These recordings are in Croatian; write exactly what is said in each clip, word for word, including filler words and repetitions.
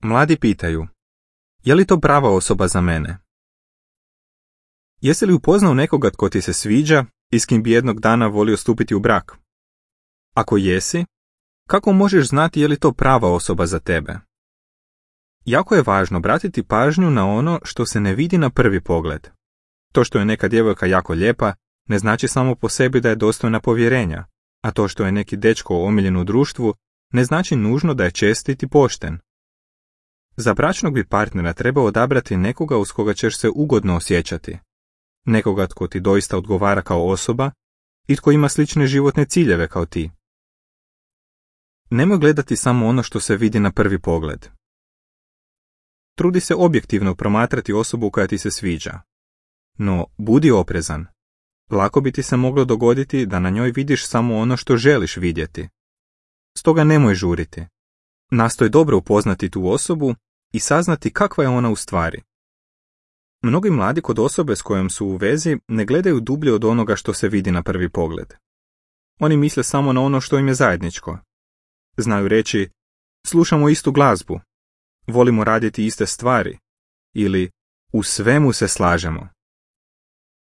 Mladi pitaju, je li to prava osoba za mene? Jesi li upoznao nekoga tko ti se sviđa i s kim bi jednog dana volio stupiti u brak? Ako jesi, kako možeš znati je li to prava osoba za tebe? Jako je važno obratiti pažnju na ono što se ne vidi na prvi pogled. To što je neka djevojka jako lijepa ne znači samo po sebi da je dostojna povjerenja, a to što je neki dečko omiljen u društvu ne znači nužno da je čestit i pošten. Za bračnog bi partnera trebao odabrati nekoga uz koga ćeš se ugodno osjećati. Nekoga tko ti doista odgovara kao osoba i tko ima slične životne ciljeve kao ti. Nemoj gledati samo ono što se vidi na prvi pogled. Trudi se objektivno promatrati osobu koja ti se sviđa. No, budi oprezan. Lako bi ti se moglo dogoditi da na njoj vidiš samo ono što želiš vidjeti. Stoga nemoj žuriti. Nastoj dobro upoznati tu osobu i saznati kakva je ona u stvari. Mnogi mladi kod osobe s kojom su u vezi ne gledaju dublje od onoga što se vidi na prvi pogled. Oni misle samo na ono što im je zajedničko. Znaju reći, slušamo istu glazbu, volimo raditi iste stvari ili u svemu se slažemo.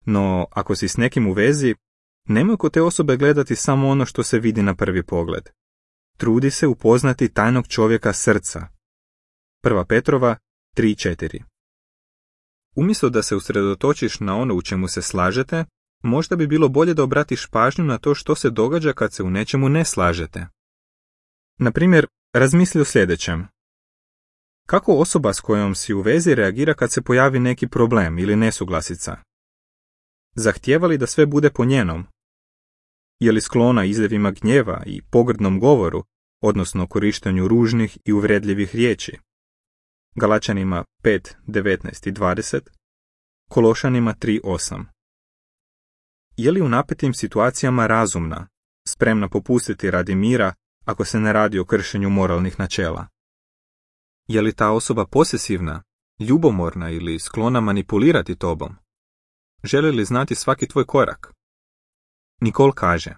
No, ako si s nekim u vezi, nemoj kod te osobe gledati samo ono što se vidi na prvi pogled. Trudi se upoznati tajnog čovjeka srca. Prva Petrova tri četiri. Umjesto da se usredotočiš na ono u čemu se slažete, možda bi bilo bolje da obratiš pažnju na to što se događa kad se u nečemu ne slažete. Na primjer, razmisli o sljedećem. Kako osoba s kojom si u vezi reagira kad se pojavi neki problem ili nesuglasica? Zahtijeva li da sve bude po njenom? Je li sklona izljevima gnjeva i pogrdnom govoru, odnosno korištenju ružnih i uvredljivih riječi? Galačanima pet devetnaest i dvadeset, Kološanima tri osam. Je li u napetim situacijama razumna, spremna popustiti radi mira ako se ne radi o kršenju moralnih načela? Je li ta osoba posesivna, ljubomorna ili sklona manipulirati tobom? Želi li znati svaki tvoj korak? Nicole kaže,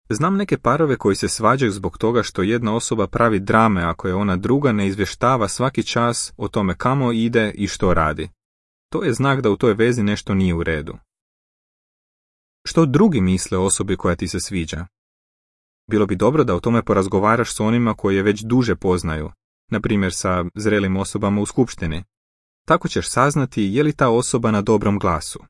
znam neke parove koji se svađaju zbog toga što jedna osoba pravi drame ako je ona druga ne izvještava svaki čas o tome kamo ide i što radi. To je znak da u toj vezi nešto nije u redu. Što drugi misle o osobi koja ti se sviđa? Bilo bi dobro da o tome porazgovaraš s onima koji je već duže poznaju, na primjer sa zrelim osobama u skupštini. Tako ćeš saznati je li ta osoba na dobrom glasu.